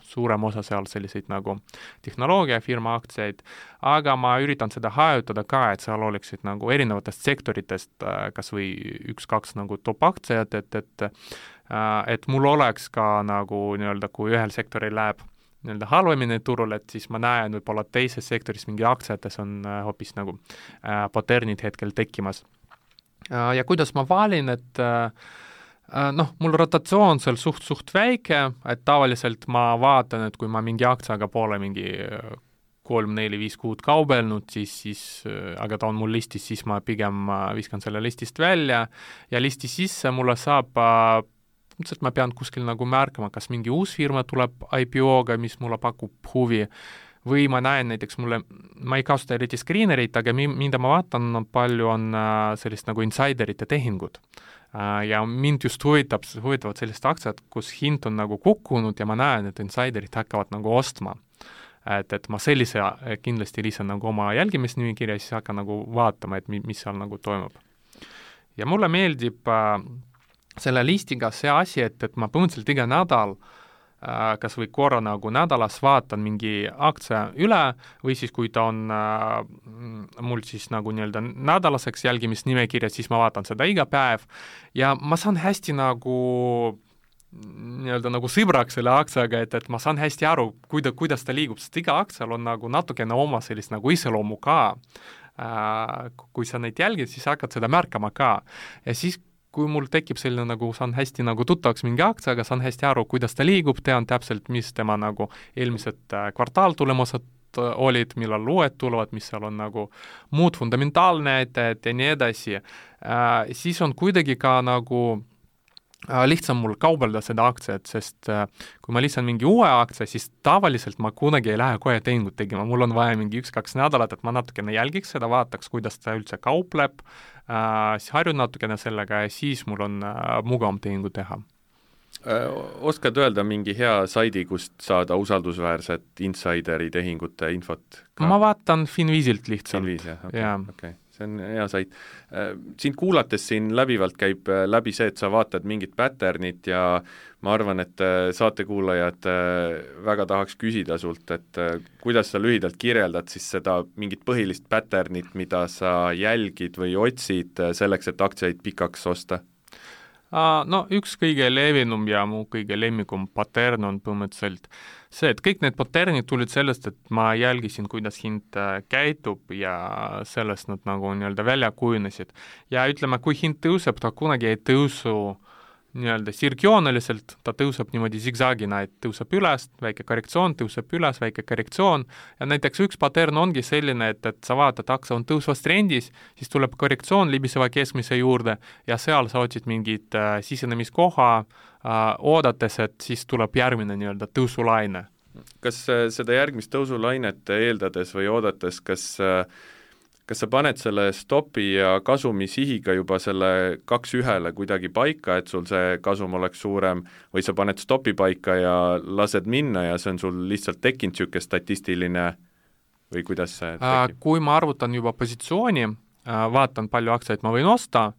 suurem osa seal selliseid nagu tehnoloogiafirma aktsiaid, aga ma üritan seda hajutada ka, et seal oleksid nagu erinevatest sektoritest kas või 1-2 nagu top aktsiad, et mul oleks ka nagu kui ühel sektoril läheb halvemini turul, et siis ma näen võib-olla teises sektoris mingi aktsiates on hoopis nagu paternid hetkel tekkimas. Ja kuidas ma valin, et mul rotatsioon seal suht väike, et tavaliselt ma vaatan, et kui ma mingi aktsiaga pole mingi 3, 4, 5 kuud kaubelnud, siis aga ta on mul listis, siis ma pigem viskan selle listist välja ja listi sisse mulle saab, mõtlesin, et ma pean kuskil nagu märkama, kas mingi uus firma tuleb IPO-ga, mis mulle pakub huvi, või ma näen näiteks ma ei kasuta eriti screenerit, aga mida ma vaatan, palju on sellist nagu insiderite tehingud. Ja mind just huvitavad sellised aktsiad, kus hind on nagu kukkunud ja ma näen, et insiderid hakkavad nagu ostma. Et ma sellise kindlasti lisan nagu oma jälgimisnimekirja ja siis hakkan nagu vaatama, et mis seal nagu toimub. Ja mulle meeldib selle listiga see asi, et ma põhimõtteliselt iga nädal kas või korra nagu nädalas vaatan mingi aktsia üle või siis kui ta on mul siis nagu nädalaseks jälgimisnimekirja, siis ma vaatan seda iga päev ja ma saan hästi nagu sõbraks selle aktsiaga, et ma saan hästi aru, kuidas ta liigub, sest iga aktsial on nagu natukene oma sellist nagu iseloomu ka. Kui sa neid jälgid, siis hakkad seda märkama ka ja siis kui mul tekib selline nagu, saan hästi nagu tuttavaks mingi aktsiaga, saan hästi aru, kuidas ta liigub, tean täpselt, mis tema nagu eelmised kvartaaltulemused olid, millal uued tulevad, mis seal on nagu muud fundamentaalnäitajad ja nii edasi. Siis on kuidagi ka nagu lihtsam mul kaubelda seda aktsiat, sest kui ma lisan mingi uue aktsia, siis tavaliselt ma kunagi ei lähe kohe tehingut tegema, mul on vaja mingi 1-2 nädalat, et ma natukene jälgiks seda, vaataks, kuidas ta üldse kaupleb, siis harjun natukene sellega ja siis mul on mugavam tehingu teha. Oskad öelda mingi hea saidi, kust saada usaldusväärset insideri tehingute infot? Ma vaatan Finviisilt lihtsalt. Finviis, jah, okei. see on hea sait. Sind kuulates siin läbivalt käib läbi see, et sa vaatad mingit patternit ja ma arvan, et saatekuulajad väga tahaks küsida sult, et kuidas sa lühidalt kirjeldad siis seda mingit põhilist patternit, mida sa jälgid või otsid selleks, et aktsiaid pikaks osta? No üks kõige levinum ja mu kõige lemmikum pattern on põhimõtteliselt see, et kõik need patternid tulid sellest, et ma jälgisin, kuidas hind käitub ja sellest nad nagu nii-öelda välja kujunesid. Ja ütleme, kui hind tõuseb, ta kunagi ei tõusu nii-öelda sirgjooneliselt, ta tõuseb niimoodi zigzagina, et tõuseb üles, väike korrektsioon, tõuseb üles, väike korrektsioon ja näiteks üks pattern ongi selline, et sa vaatad, aktsia on tõusvas trendis, siis tuleb korrektsioon libiseva keskmise juurde ja seal sa otsid mingit sisenemiskoha, oodates, et siis tuleb järgmine nii-öelda tõusulaine. Kas seda järgmist tõusulainet eeldades või oodates, kas sa paned selle stopi ja kasumi sihiga juba selle 2-1 kuidagi paika, et sul see kasum oleks suurem, või sa paned stopi paika ja lased minna ja see on sul lihtsalt tekkinud niisugune statistiline või kuidas see tekib? Kui ma arvutan juba positsiooni, vaatan, palju aktsiaid ma võin osta,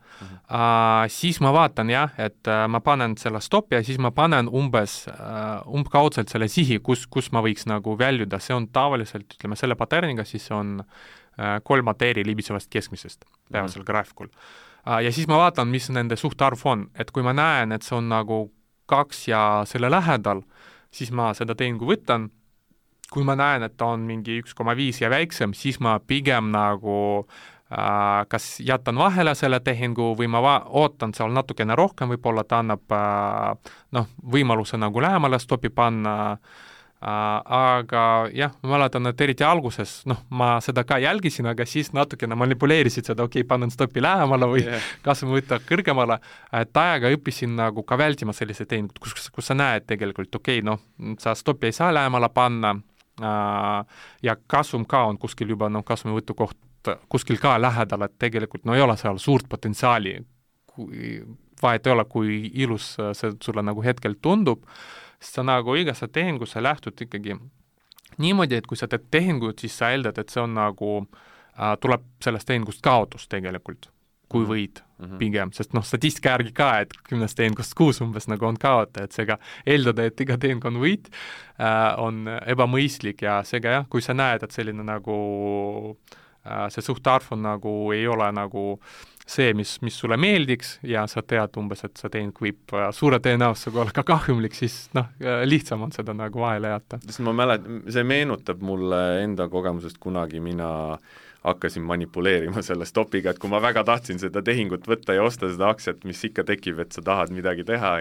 siis ma vaatan jah, et ma panen selle stopi ja siis ma panen umbkaudselt selle sihi, kus ma võiks nagu väljuda, see on tavaliselt, ütleme, selle paterniga, siis on 3 mateeri libisevast keskmisest päevasel graafikul. Ja siis ma vaatan, mis nende suhtarv on, et kui ma näen, et see on nagu 2 ja selle lähedal, siis ma seda tehingu võtan, kui ma näen, et ta on mingi 1,5 ja väiksem, siis ma pigem nagu kas jätan vahele selle tehingu või ma ootan seal natukene rohkem, võib-olla ta annab võimaluse nagu lähemale stopi panna, aga jah, ma mäletan, et eriti alguses, ma seda ka jälgisin, aga siis natukene manipuleerisid seda, panen stopi lähemale või kasvõi võtta kõrgemale, et ajaga õppisin nagu ka vältima sellise tehingut, kus sa näed tegelikult, sa stopi ei saa lähemale panna ja kasum ka on kuskil juba, kasumi võtukoht kuskil ka lähedal, et tegelikult ei ole seal suurt potentsiaali, vahet ei ole, kui ilus see sulle nagu hetkel tundub, sest sa nagu igasse tehingu sa lähtud ikkagi niimoodi, et kui sa teed tehingut, siis sa eeldad, et see on nagu, tuleb sellest tehingust kaotus tegelikult, kui võid pigem, sest statistika järgi ka, et 10 tehingust 6 umbes nagu on kaota, et seega eeldada, et iga tehing on võit, on ebamõistlik ja seega jah, kui sa näed, et selline nagu see suhtarv on nagu, ei ole nagu see, mis sulle meeldiks ja sa tead umbes, et see tehing võib suure tõenäosusega olla ka kahjumlik, siis lihtsam on seda nagu vahele jätta. Sest ma mäletan, see meenutab mulle enda kogemusest kunagi, mina hakkasin manipuleerima selle stopiga, et kui ma väga tahtsin seda tehingut võtta ja osta seda aktsiat, mis ikka tekib, et sa tahad midagi teha,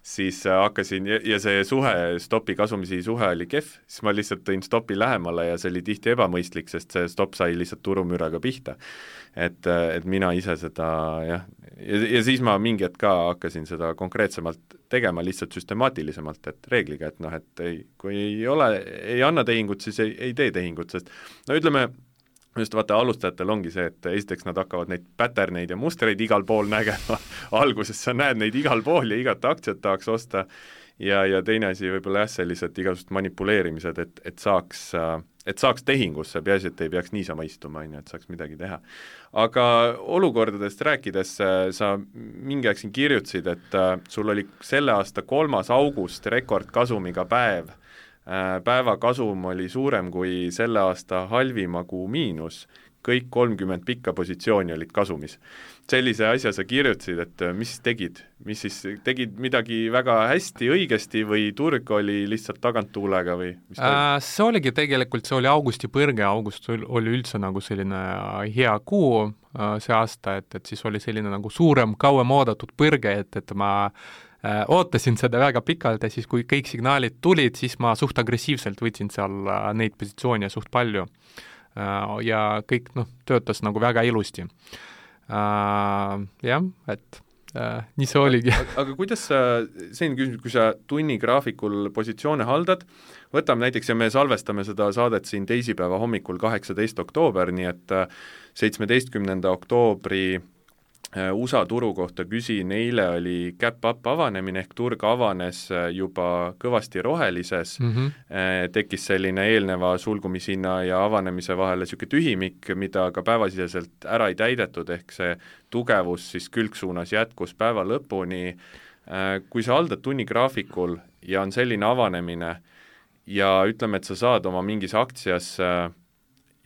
siis hakkasin, ja see suhe, stopi kasumisi suhe oli kehv, siis ma lihtsalt tõin stopi lähemale ja see oli tihti ebamõistlik, sest see stop sai lihtsalt turumüraga pihta. Et mina ise seda, jah, ja siis ma mingi hetk ka hakkasin seda konkreetsemalt tegema lihtsalt süstemaatilisemalt, et reegliga, et kui ei anna tehingut, siis ei tee tehingut, sest ütleme, just vaata, alustajatel ongi see, et esiteks nad hakkavad neid patterneid ja mustreid igal pool nägema, alguses sa näed neid igal pool ja igat aktsiat tahaks osta ja teine asi võib-olla jah, sellised igasugused manipuleerimised, et saaks tehingusse, peaasi, et ei peaks niisama istuma, et saaks midagi teha. Aga olukordadest rääkides sa mingi aeg siin kirjutasid, et sul oli selle aasta 3. august rekordkasumiga päev, päeva kasum oli suurem kui selle aasta halvima kuu miinus, kõik 30 pikka positsiooni olid kasumis. Sellise asja sa kirjutasid, et mis tegid? Mis siis tegid midagi väga hästi, õigesti või turg oli lihtsalt taganttuulega või? See oligi tegelikult, see oli augusti põrge, august oli üldse nagu selline hea kuu see aasta, et siis oli selline nagu suurem, kauem oodatud põrge, et ma ootasin seda väga pikalt ja siis, kui kõik signaalid tulid, siis ma suht agressiivselt võtsin seal neid positsioone suht palju. Ja kõik töötas nagu väga ilusti. Jah, et nii see oligi. Aga kuidas see on küsimus, kui sa tunnigraafikul positsioone haldad, võtame näiteks, ja me salvestame seda saadet siin teisipäeva hommikul 18. oktoober, nii et 17. oktoobri USA turu kohta küsin, eile oli gap up avanemine ehk turg avanes juba kõvasti rohelises, tekkis selline eelneva sulgumishinna ja avanemise vahele niisugune tühimik, mida ka päevasiseselt ära ei täidetud, ehk see tugevus siis külgsuunas jätkus päeva lõpuni. Kui sa haldad tunnigraafikul ja on selline avanemine ja ütleme, et sa saad oma mingis aktsias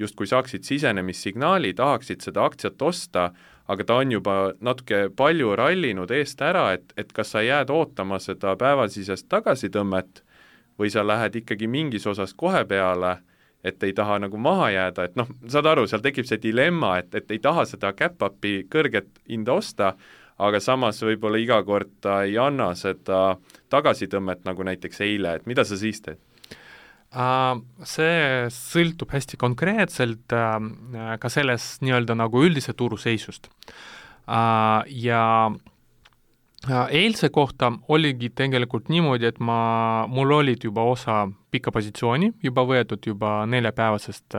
justkui saaksid sisenemissignaali, tahaksid seda aktsiat osta, aga ta on juba natuke palju rallinud eest ära, et kas sa jääd ootama seda päevasisest tagasitõmmet või sa lähed ikkagi mingis osas kohe peale, et ei taha nagu maha jääda, et noh, saad aru, seal tekib see dilemma, et ei taha seda cap-upi kõrget hinda osta, aga samas võib-olla iga kord ta ei anna seda tagasitõmmet nagu näiteks eile, et mida sa siis teed? See sõltub hästi konkreetselt ka sellest nii-öelda nagu üldise turu seisust. Ja eilse kohta oligi tegelikult niimoodi, et mul olid juba osa pikka positsiooni, juba võetud juba neljapäevasest,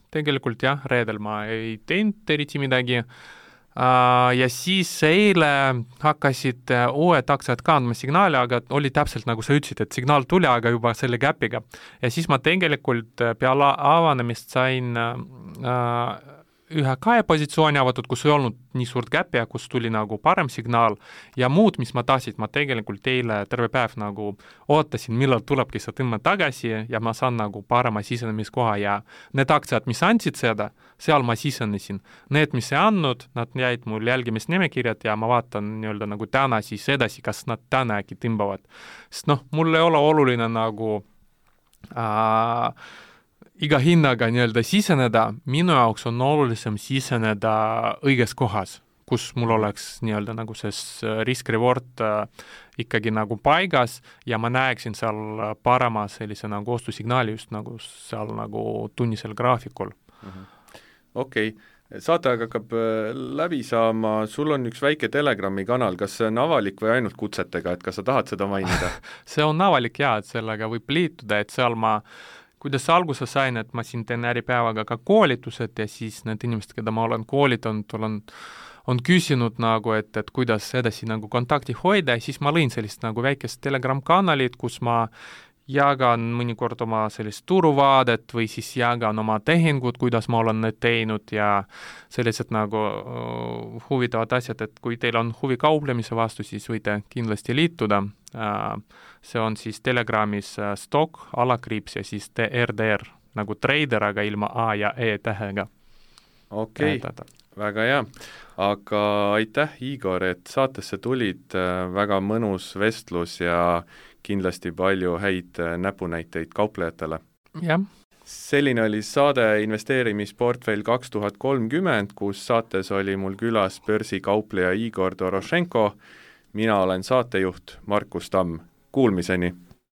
tegelikult jah, reedel ma ei teinud eriti midagi, ja siis eile hakkasid uued aktsiad ka andma signaali, aga oli täpselt nagu sa ütlesid, et signaal tuli, aga juba selle käpiga. Ja siis ma tegelikult peale avanemist sain ühe positsiooni avatud, kus ei olnud nii suurt käpi ja kus tuli nagu parem signaal ja muud, mis ma tahtsin, ma tegelikult eile terve päev nagu ootasin, millal tulebki see tõmme tagasi ja ma saan nagu parema sisenemiskoha ja need aktsiad, mis andsid seda, seal ma sisenesin. Need, mis ei andnud, nad jäid mul jälgimisnimekirjad ja ma vaatan nii-öelda nagu täna siis edasi, kas nad täna äkki tõmbavad. Sest noh, mul ei ole oluline nagu iga hinnaga nii-öelda siseneda, minu jaoks on olulisem siseneda õiges kohas, kus mul oleks nii-öelda nagu see risk-reward ikkagi nagu paigas ja ma näeksin seal parema sellise nagu ostusignaali just nagu seal nagu tunnisel graafikul. Okei. Saate hakkab läbi saama, sul on üks väike Telegrami kanal, kas see on avalik või ainult kutsetega, et kas sa tahad seda mainida? See on avalik ja, et sellega võib liituda, et seal kuidas alguse sain, et ma siin teen Äripäevaga ka koolitused ja siis need inimesed, keda ma olen koolitanud, on küsinud nagu, et kuidas edasi nagu kontakti hoida ja siis ma lõin sellist nagu väikest Telegram-kanalit, kus ma jagan mõnikord oma sellist turuvaadet või siis jagan oma tehingud, kuidas ma olen need teinud ja sellised nagu huvitavad asjad, et kui teil on huvi kauplemise vastu, siis võite kindlasti liituda. See on siis Telegramis stock, alakriips ja siis TRDR, nagu trader, aga ilma A ja E tähega. Okei, väga hea. Aga aitäh, Igor, et saatesse tulid, väga mõnus vestlus ja kindlasti palju häid näpunäiteid kauplejatele. Jah. Selline oli saade investeerimisportfell 2030, kus saates oli mul külas börsikaupleja Igor Dorošenko. Mina olen saatejuht Markus Tamm. Kuulmiseni!